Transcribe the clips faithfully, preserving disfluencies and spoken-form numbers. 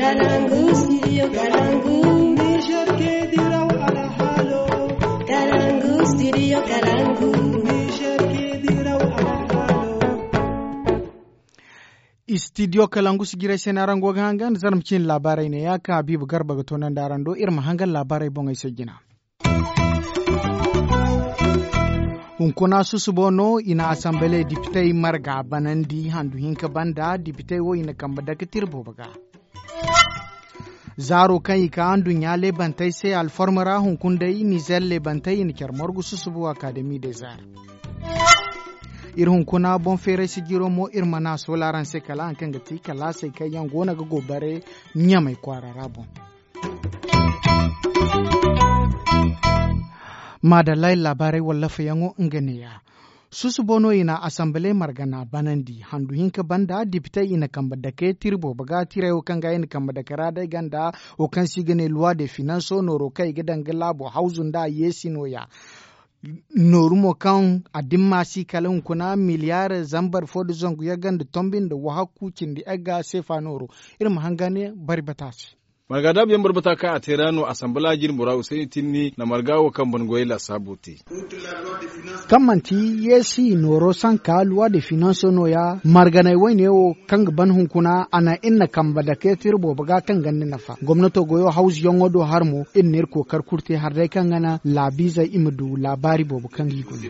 Kalangu, studio Kalangu. Niger ke diraw alhalo. Kalangu, studio Kalangu. Niger ke diraw alhalo. Studio Kalangu si jiray se no araŋ go ga hangan zarma ciine laabaarey ne ya kaŋ Habiibu Garba ga toonandi araŋ do iri ma hangan laabaarey boŋey se jina. Hunkuna susubo no i na asambale dipitey marga banandi handu hinka banda dipitey wo i na kambe dake tira boobo ga. Zaaro kaŋ i ka nduɲɲa leebantey se alforma ra hunkuna day nizer leebantey i na care morgu susubo akademi de zaar. Iri hunkuna boŋ feeray sijiro mo iri mana soola araŋ se kala haŋ kaŋ ga ti kalaasey kaŋ yaŋ go no ga go bare ɲamay kwaara ra boŋ. Maadallay laabaarey wallafayaŋo nga neeya. Susubo no i na asambale margana banandi handu hinka banda dipitey i na kambe dake tira boobo ga tirey wo kaŋ ga i na kambe dake ra day ganda wo kaŋ se i ga ne luwa de finanso nooro kaŋ i ga daŋ ga laabo hawzu nda a yeesi nooya. Nooru mo kaŋ a dimma si kala hunkuna miliyar zambar fo nda zangu yagga nda tombi nda wahakku cindi yagga seefa nooro. Iri ma hanga ne bari bata se. Marga daabu yaŋ boro bata kaŋ a te ra no asambala jine bora usayni tinni na marga wo kaŋ ban goyey lasaabo te. Kaŋ manti yeesi nooro sanka luwa de finanso nooya marganey woyne wo kaŋ ga ban hunkuna a naŋ iri na kambe dake tira boobo ga kaŋ ganda nafa gomnato goyo hawzuyaŋo do har mo iri na iri kookari kulu te har day kaŋ ga naŋ laabiizey i ma du laabaari boobo kaŋ ga i guna.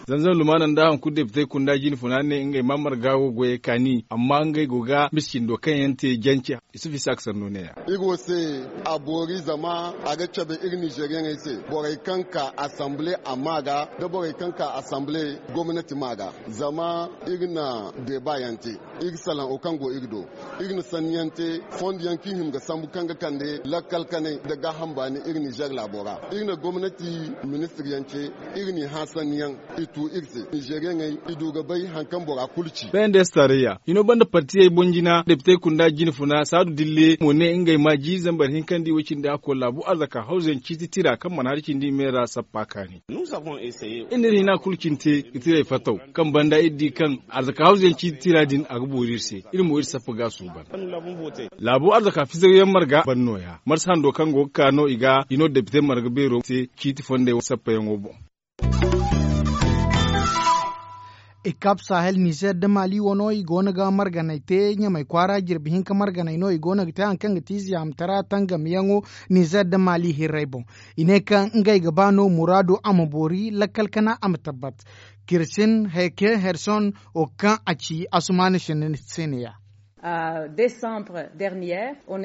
Zanzam lumaana nda hari kulu depitey kunda jine funa ne ngey ma marga wo goyey kaani amma ngey go ga misa cindo kaŋ yaŋ te jance. Isufu isa ga sanno neeya. Iri wo se a boori zama a ga cabe iri nizeriyaŋey se borey kaŋ ka asambile a ma ga nda borey kaŋ ka asambile gomnati ma ga. Zama iri na deeba yaŋ te iri salaŋ wo kaŋ go iri do. Iri na sanni yaŋ te fondo yaŋ kaŋ i hima ga sambu kaŋ ga kande lakkal kanay nda gaaham baani iri nizer laabo ra. Iri na gomnati ministir yaŋ ce iri n'i hã sanni yaŋ i tu iri se nizeriyaŋey i du ga bay hari kaŋ bora kulu ci. Pnds tarayya hino banda partiyey boŋ jina depitey kunda jine funa saadu dille mo ne ngey ma jiiri zambar hinka nda i way cindi a koy laabu arzaka hawzuyaŋ ciiti tira kaŋ mana hari cindi i me ra sappa kaani. Iri na iri hina kulu cine te ga tirey fattaw kaŋ banda iri di kaŋ arzaka hawzuyaŋ ciiti tira din a ga boori iri se. Iri mo iri sappa ga a suuban. Laabu arzaka fisawyaŋ marga ban nooya marsa hando kaŋ go ga ka no i ga hino depite marga beero te ciiti fondey sappayaŋo boŋ. Ikab sahel nizer nda mali wano i go no ga marganey te ɲamey kwaara jirbi hinka marganey no i go no ga te hari kaŋ ga ti ziyaamtara tangamyaŋo nizer nda mali hirrey boŋ. I ne kaŋ ngey ga ba no muraado a ma boori lakkal kana a ma tabbat. Kirsin heke herson wo kaŋ a ci asumaana sinda se ne ya.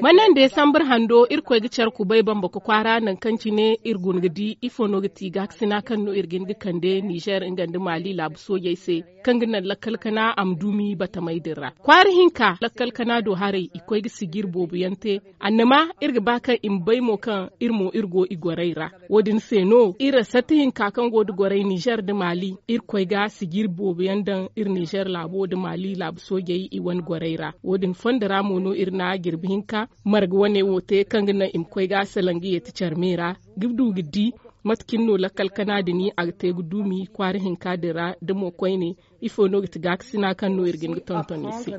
Mana nda desambar hando irkoy ga care kubay bambako kwaara nangu kaŋ cine iri guna ga di ifo no ga ti gaakasina kaŋ no iri ga hin ga kande nizer nga nda mali laabu soojey se kaŋ ga naŋ lakkal kana a ma duumi batamey din ra kwaara hinka lakkal kana do haray i koy ga sijir boobo yaŋ te. Annama iri ga ba kaŋ i ma bay mo kaŋ iri mo iri go i gorey ra. Wo- din se no iri ra satti hinka kaŋ go nda gorey nizer nda mali iri koy ga sijir boobo yaŋ daŋ iri nizer laabo nda mali laabu soojey i wane gorey ra. Wo- din fondo ra mo no iri na jirbi hinka marga wane wo te kaŋ ga naŋ i ma koy ga salaŋ ga yeeti care me ra ga du ga di mate cine no lakkal kana din a ga te ga duumi kwaara hinka din ra da mo koyne. Ifo no ga ti gaakasina kaŋ no iri ga hin ga tonton i se?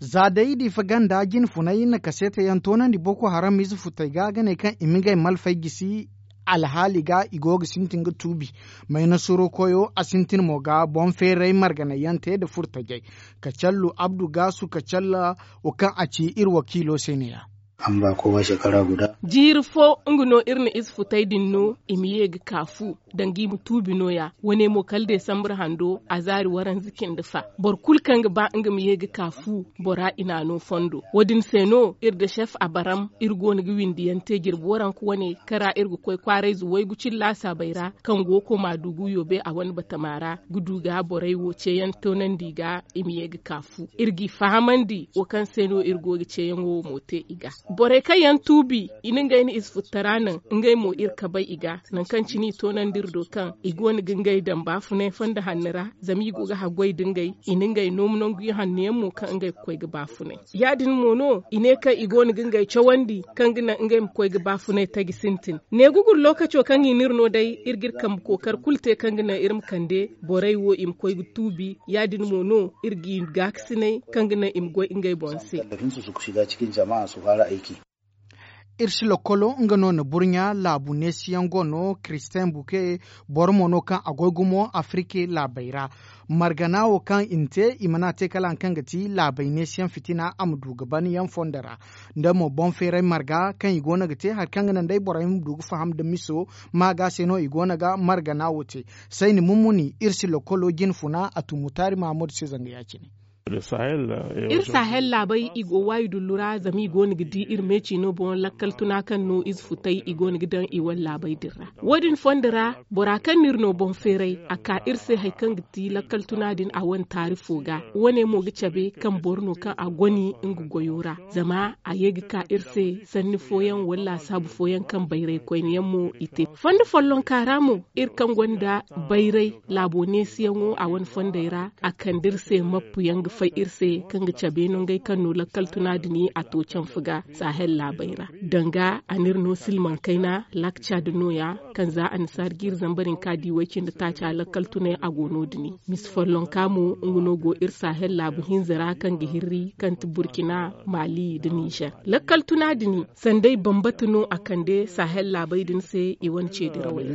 Za day diifa ganda jine funay na kaseete yaŋ toonandi boko haram ize futey ga ga ne kaŋ i ma ngey malfey gisi alhaali ga i go ga sintin ga tuubi. Mayna suro koyo a sintin mo ga boŋ feeray marganay yaŋ te nda furtajey. Kacallu abdu gaasu kacalla wo kaŋ a ci iri wakiilo se ne- ya. Jiiri fo nga no iri na ize futey din no i ma ye ga ka fu danga i ma tuubi no- ya. Wane mo kala desambar hando a zaari waranza cindi fa. Boro kulu kaŋ ga ba nga ma ye ga ka fu bora i n'a no fondo wo- din se no iri nda sef abaram iri go no ga windiyaŋ te jirbi waranka wane kaŋ ra iri ga koy kwaarayze waygu cine laasaabey ra kaŋ go ga koy m'a du ga yoobe a wane batama ra ga du ga borey wo ceeyaŋ toonandi i ga i ma ye ga ka fu iri g'i fahamandi wo kaŋ se no iri go ga ceeyaŋo wo mo te i ga. Borey kaŋ yaŋ tuubi i na ngey na ize futtara naŋ, ngey mo iri kabay i ga. Nangu kaŋ cine i toonandi iri do kaŋ i go no ga ngey daŋ baafunay fondo hanno ra, zama i go ga haggoy nda ngey, i na ngey noomu nangu ihanno yaŋ mo kaŋ ngey ga koy ga baafunay. Ya- din mo no i ne kaŋ i go no ga ngey cawandi kaŋ ga naŋ ngey ma koy ga baafunay taji sintin. Neegugur lookaco kaŋ i n'iri no day, iri g'iri kambe kookari kulu te kaŋ ga naŋ iri ma kande borey wo i ma koy ga tuubi. Ya- din mo no iri g'i gaakasinay kaŋ ga naŋ i ma goy ngey boŋ se. Iri si lokolo nga no na burɲa laabu neesiyaŋ go no, kiristin buke, boro mo no kaŋ a goy gumo afirika laabey ra. Margana wo kaŋ i na te, i mana te kala hari kaŋ ga ti laabey neesiyaŋ fitina a ma du ga ban yaŋ fondo ra. Nda mo boŋ feeray marga kaŋ i go no ga te hari kaŋ ga naŋ day borey ma du ga faham nda miso, ma ga se no i go no ga margana wo te. Sayni mummuni iri si lokolo jine funa a tu mutaari mahammadu se zanga ya- cine. Iri sahel laabey i go waayi dullu ra zama i go no ga di iri meeci no boŋ lakkal tuna kaŋ no ize futay i go no ga daŋ i wane laabey din ra. Wo- din fondo ra, bora kaŋ no iri no boŋ feeray a ka iri se hari kaŋ ga ti lakkal tuna din a wane taari fo ga. Wo- ne mo ga cabe kaŋ boro no kaŋ a goni nga goyo ra, zama a ye ga ka iri se sanni fooyaŋ wala laasaabu fooyaŋ kaŋ bayray koyne yaŋ mo i te fondo follonka ra mo. Iri kaŋ gonda bayray laabo neesiyaŋo a wane fondey ra, a kande iri se mappu yaŋ ga fay iri se kaŋ ga cabe nongey kaŋ no lakkal tuna din a to canfu ga sahel laabey ra. Danga a n'iri no silmaŋ kayna lakca da nooya, kaŋ za annasaari jiiri zambar hinka di way- cindi taaca lakkal tunay a go no- din. Misi follonka mo nga no go iri sahel laabu hinza ra kaŋ ga hirri kaŋ ti burkina, maali nda nizer. Lakkal tuna din sanday bambata no a kande sahel laabey din se i wane ceedirawey ra.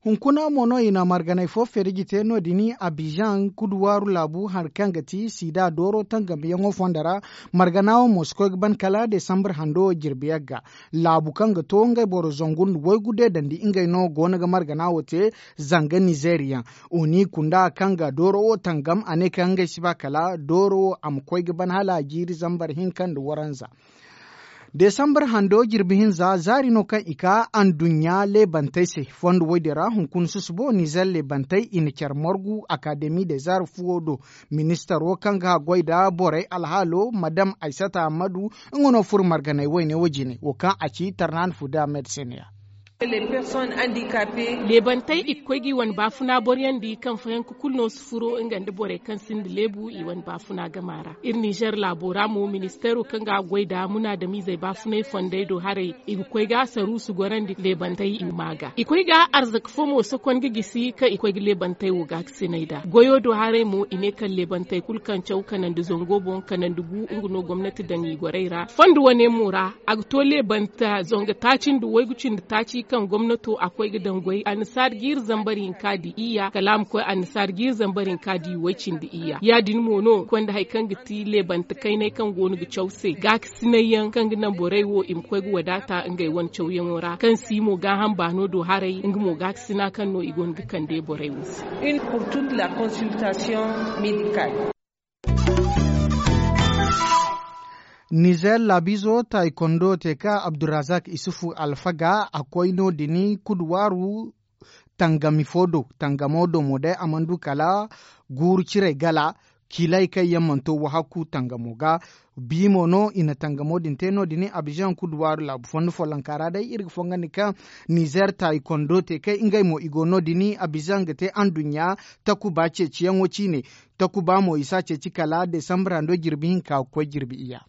Hunkuna mo no i na marganay fo feeriji te no- din abizaŋ kuduwaaru laabu hari kaŋ ga ti sida dooro tangamyaŋo fondo ra. Margana wo mo si koy ga ban kala desambar hando jirbi yagga. Laabu kaŋ ga to ngey boro zangu nda waygu deedandi ngey no go no ga margana wo te. Zanga nizeeriyaŋ oni kunda kaŋ ga dooro wo tangam a ne kaŋ ngey si ba kala dooro wo a ma koy ga ban hala jiiri zambar hinka nda waranza. Desambar hando jirbi hinza zaari no kaŋ i ka anduɲɲa leebantey se fondo woy din ra hunkuna susubo nizer leebantey i na care margu akademi de zaari fuwo do. Ministaro kaŋ ga haggoy nda borey alhaalo madam aysata ammadu, nga no furo marganey wayne wo jine wo kaŋ a ci tarnaani fuda medsin ya. Leebantey i ga koy ga i wane baafuna boroyaŋ di kaŋ fayanka kulu no si furo nga nda borey kaŋ sinda leebu i wane baafuna gama ra. Iri nizer laabo ra mo ministeero kaŋ ga goy nda munaadamiizey baafunay fondey do haray i ga koy ga saruusu gorandi leebantey i ma ga i koy ga arzaka fo mo sokon ga gisi kaŋ i koy ga leebantey wo ga ga sinay nd'a goyo do haray mo i ne kaŋ leebantey kulu kaŋ caw kanandi zango boŋ kanandi gu nga no gomnati daŋ i gorey ra fondo wane mo ra. A ga to leebanta zanga taaci nda waygu cindi taaci kaŋ gomnato a koy ga daŋ goy annasaari jiiri zambar hinka nda iyya kala a ma koy annasaari jiiri zambar hinka nda way cindi iyya ya- din mo no konda hari kaŋ ga ti leebanta kaynay kaŋ go no ga caw se gaakasinay yaŋ kaŋ ga naŋ borey wo i ma koy ga wadaata ngey wane cawyaŋo ra kaŋ si mo gaaham baano do haray nga mo gaakasina kaŋ no i go no ga kande borey wo se. Nizer laabiizo taaykondo te ka abdurazak isufu alfaga a koy no- din kuduwaaru tangami fo do tangamo do mo day a mana du kala guuru ciray gala. Kiilay kaŋ yaŋ mana to wahakku tangamo ga bi mo no i na tangamo din te no- din abizaŋ kuduwaaru laabu fondo follonka ra day iri ga fongandi kaŋ nizer taaykondo te kay ngey mo i go no- din abizaŋ ga te anduɲɲa takuba ceeciyaŋo ciine. Takuba mo i si a ceeci kala desambar hando jirbi hinka ga koy jirbi iyya.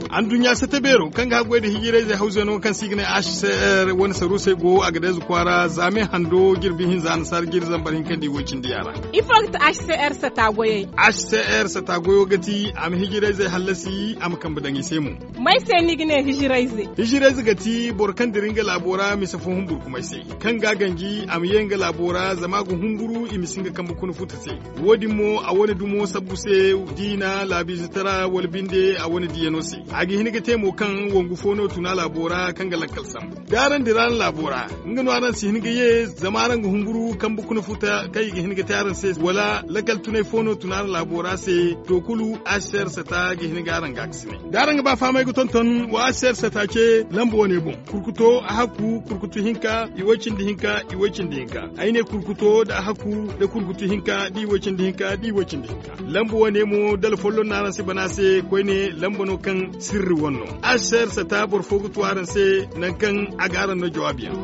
Anduɲɲa sata beero kaŋ ga haggoy nda hijirayzey hawzeno kaŋ se i ga ne h c r wane saruusey go a ga dayze kwaara zaame hando jirbi hinza annasaara jiiri zambar hinka nda i woy cindi yaara. Ifo ga ti h c r sata goyey? H c r sata goyo ga ti a ma hijirayzey hallasi a ma kambe daŋ i se mo. May se ni ga ne hijirayze? Hijirayze ga ti boro kaŋ dira nga laabo ra mise fo humburkumay se kaŋ ga a ganji a ma ye nga laabo ra zama a ga humburu i ma si nga kambe kuna futa se. Wo- din mo a wane dumo sabbu se diina laabiize tara wala binde a wane diiyano se. A ga hin ga te mo kaŋ wangu fo no tuna laabo ra kaŋ ga lakkal sambu da araŋ dira araŋ laabo ra. Nga no araŋ si hin ga ye zama araŋ ga humburu kambe kuna futa kaŋ i ga hin ga te araŋ se wala lakkal tunay fo no tuna araŋ laabo ra se. To kulu asser sata ga hin ga araŋ ga a ga si ne da araŋ ga ba fahamay ga tonton wa asser sata ce lamba wane boŋ. Kurkuto a hakku kurkutu hinka i way cindi hinka i way cindi hinka. Ay ne kurkuto da a hakku da kurkutu hinka da i way cindi hinka da i way cindi hinka. Lamba wane mo dala folloŋ no araŋ si bana se koyne lamba no kaŋ sirri wane no. Asser sata boro fo ga tu araŋ se nangu kaŋ a ga araŋ no jawaabi yaŋ.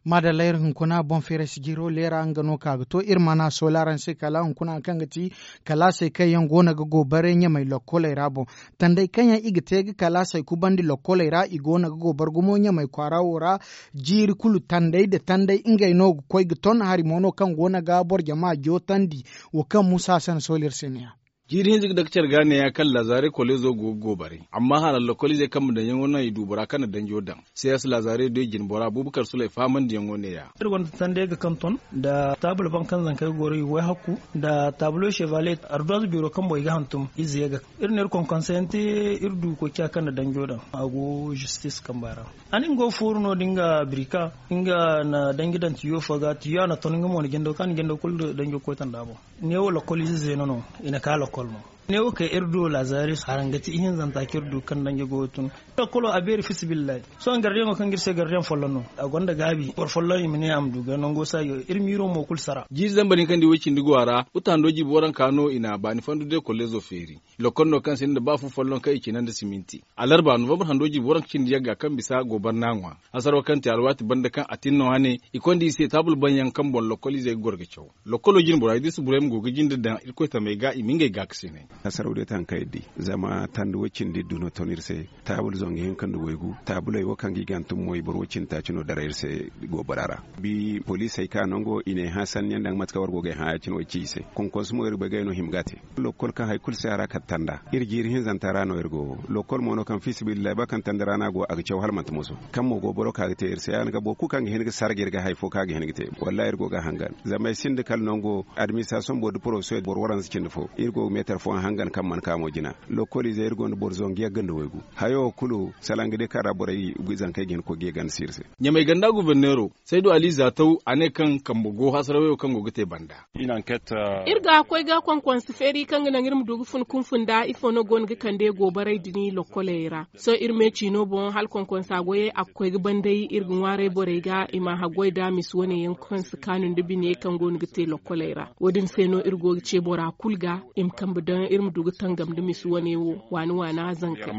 Maadalla iri hunkuna boŋ feeray sijiro leera nga no ka ga to iri mana soole araŋ se kala hunkuna kaŋ ga ti kalaasey kaŋ yaŋ go no ga go bare ɲamay lokkoley ra boŋ. Tandey kaŋ yaŋ i ga te ga kalaasey kubandi lokkoley ra i go no ga go bare gumo ɲamay kwaara wo ra. Jiiri kulu tandey nda tandey ngey no ga koy ga ton hari mo no kaŋ go no ga boro jama jootandi. Wo kaŋ muusa se na soole iri se ne- ya. Jiiri hinza ga dake care ga ne- ya kaŋ laazare koleezo go ga go bare amma hala lokkoliizey kaŋ ma daŋ yaŋo no i du bora kaŋ na danjo daŋ. Sees laazare do i jine bora buubakar sulay fahamandiyaŋo ne- ya. Iri gonda tandey ga kaŋ ton nda taabul baŋ kaŋ zankey ga goro i ga way hakku nda taabulo chevalier arduwaz biro kaŋ boŋ i ga hantum ize ga. Iri na iri konkonseyaŋ te iri du koy ciya kaŋ na danjo daŋ a go zistis kamba ra. A ne nga go ga fooru no- din ga birika nga na danji daŋ tiyo fo ga tiyo a na ton nga mo na jando kaŋ a na jando kulu danjo koy tanda boŋ. Neewo lokol ize zeeno no i na ka lokol mo. Neewo kay iri du lazaris haraŋ ga ti ihinzanta kaŋ iri du kaŋ danji go ga tun. Lokolo a beeri fisibillahi. Sohõ gardiyaŋo kaŋ ga iri se gardiyaŋ folloŋ no a gonda gaabi boro folloŋ i ma ne a ma du ga nango saajo iri miiro mo kulu sara. Jiiri zamba din kaŋ da i way cindi go a ra. Uta hando jiibi waranka no i na a baani fandu day kolleezo feeri. Lokol no kaŋ sinda ba fu folloŋ kaŋ i cina nda siminti. Alarba novambar hando jiibi waranka cindi yagga kaŋ bisa gobar n'a ŋwa. Hasaro kaŋ te alwaati banda kaŋ a tin no hane i konda i se taabul baŋ yaŋ kaŋ boŋ lokol izey ga goro ga caw. Lokolo jine bora idris burayma go ga jinde daŋ irkoy tamey ga i ma ngey gaakasinay. Hasaraw day taŋ kaŋ iri di zama tandi way cindi du no ton iri se. Taabul zangu hinka nda waygu taabuley wo kaŋ ga i ga hantum mo i boro way cindi taaci no daray iri se. Goobara ra bi poliisey ka nango i n'ay hã sanniyaŋ daŋ mate kaŋ war go ga ay hã ya- cine wo ay ci i se. Konkonsu mo iri bay ga ay no hima ga a te. Lokol kaŋ hari kulu si a ra kala tanda iri jiiri hinzanta ra no iri go. Lokol mo no kaŋ fiisabilillahi ba kaŋ tanda ra no a go a ga caw hala manti moso. Kaŋ mo go boro ka ga te iri se ya- din ga boro kulu kaŋ ga hin ga sarga iri ga hari fo kaŋ a ga hin ga te wallahi iri go ga a hangan. Zama ay sinda kala nango administrasoŋ boro nda porofesoŋ boro waranza cindi fo iri go ga meetar fooyaŋ hangan kaŋ mana ka mo jina. Lokoliizey iri gonda boro zangu yagga nda waygu. Hayo wo kulu salaŋ ga day kaŋ ra borey zankey ga hin ga koy ga ye ganda si iri se. Ɲamay ganda guberneero saydu ali zaataw a ne kaŋ kambe go hasarawayo kaŋ go ga te banda. Iri ga koy ga konkonse feeri kaŋ ga naŋ iri ma du ga fun kunfun da ifo no go no ga kande gobaray din lokkoley ra. Sohõ iri me ciino boŋ hala konkonsa goyey a ga koy ga banday iri ga ŋwaaray borey ga i ma haggoy da misi wane yaŋ kaŋ si kaanu nda bine kaŋ go no ga te lokkoley ra. Wo- din se no iri go ga ce bora kulu ga i ma kambe daŋ iri ma du ga tangam nda misi wane wo waani waana zankey.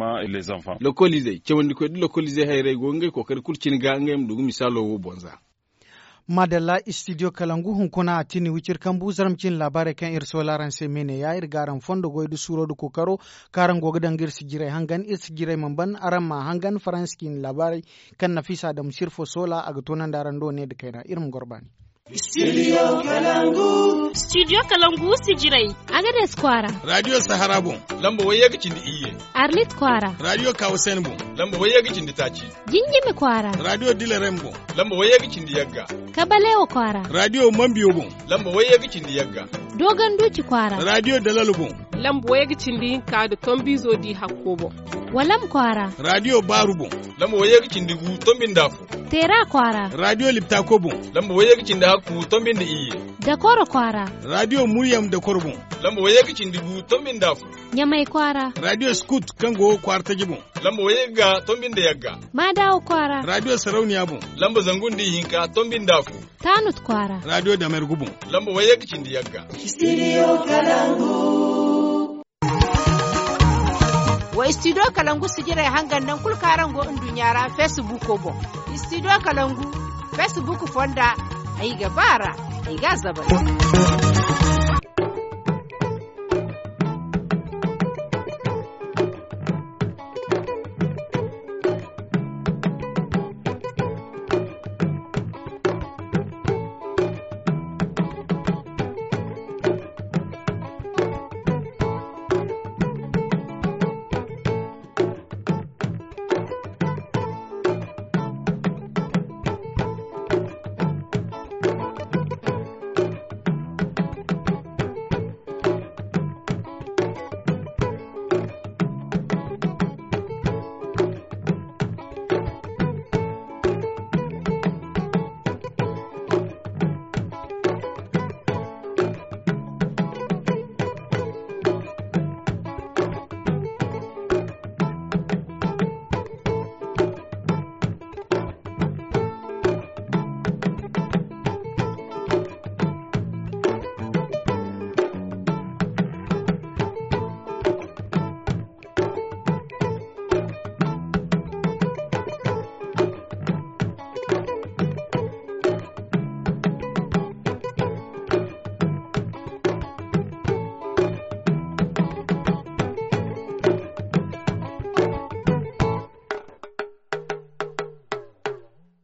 Lokoliizey cawandikoy nda lokoliizey hayrey go ga ngey kookari kulu cine ga ngey ma du ga misaalo wo boŋ za. Maadalla istidiyo kalangu hunkuna a tini wiciri kambu zarma cine laabaarey kaŋ iri soola araŋ se me ne ya iri ga araŋ fondo goy nda suuro nda kookaro kaŋ araŋ go ga daŋ ga iri sijirey hangan iri sijirey mana ban araŋ m'a hangan faransa ciine laabaarey kaŋ nafiisa adamu sirfo soola a ga toonandi araŋ do ne nda kayna iri ma goro baani. Studio kalangu sijirey agades kwaara. Radiyo sahara boŋ lamba wayye ga cindi iyye. Arlit kwaara radiyo kawusayni boŋ lamba wayye ga cindi taaci. Jinjimi kwaara radiyo dilarem boŋ lamba wayye ga cindi yagga. Kabalewo kwaara radiyo mambiyo boŋ lamba wayye ga cindi yagga. Dogonduuci kwaara radiyo dalalo boŋ lamba wayye ga cindi hinka nda tombiizo di hakko boŋ. Walam kwaara radiyo baaru boŋ lamba wayye ga cindi gu tombi nda afo. Teera kwaara radiyo liptako boŋ lamba wayye ga cindi hakku tombi nda iyye. Dakoro kwaara radiyo muryam dakoro boŋ lamba wayye ga cindi gu tombi nda afo. Ɲamay kwaara radiyo skut kaŋ go kwaara taji boŋ lamba wayye ga tombi nda yagga. Maadawo kwaara radiyo sarauniya boŋ lamba zangu nda ihinka tombi nda afo. Taanut kwaara radiyo damergu boŋ lamba wayye ga cindi yagga. Wa studio kalangu sijirey hangan naŋ kulu kaŋ araŋ go nduɲɲa ra facebook boŋ. Studio kalangu facebook fonda ay ga ba ra ay ga a zabari.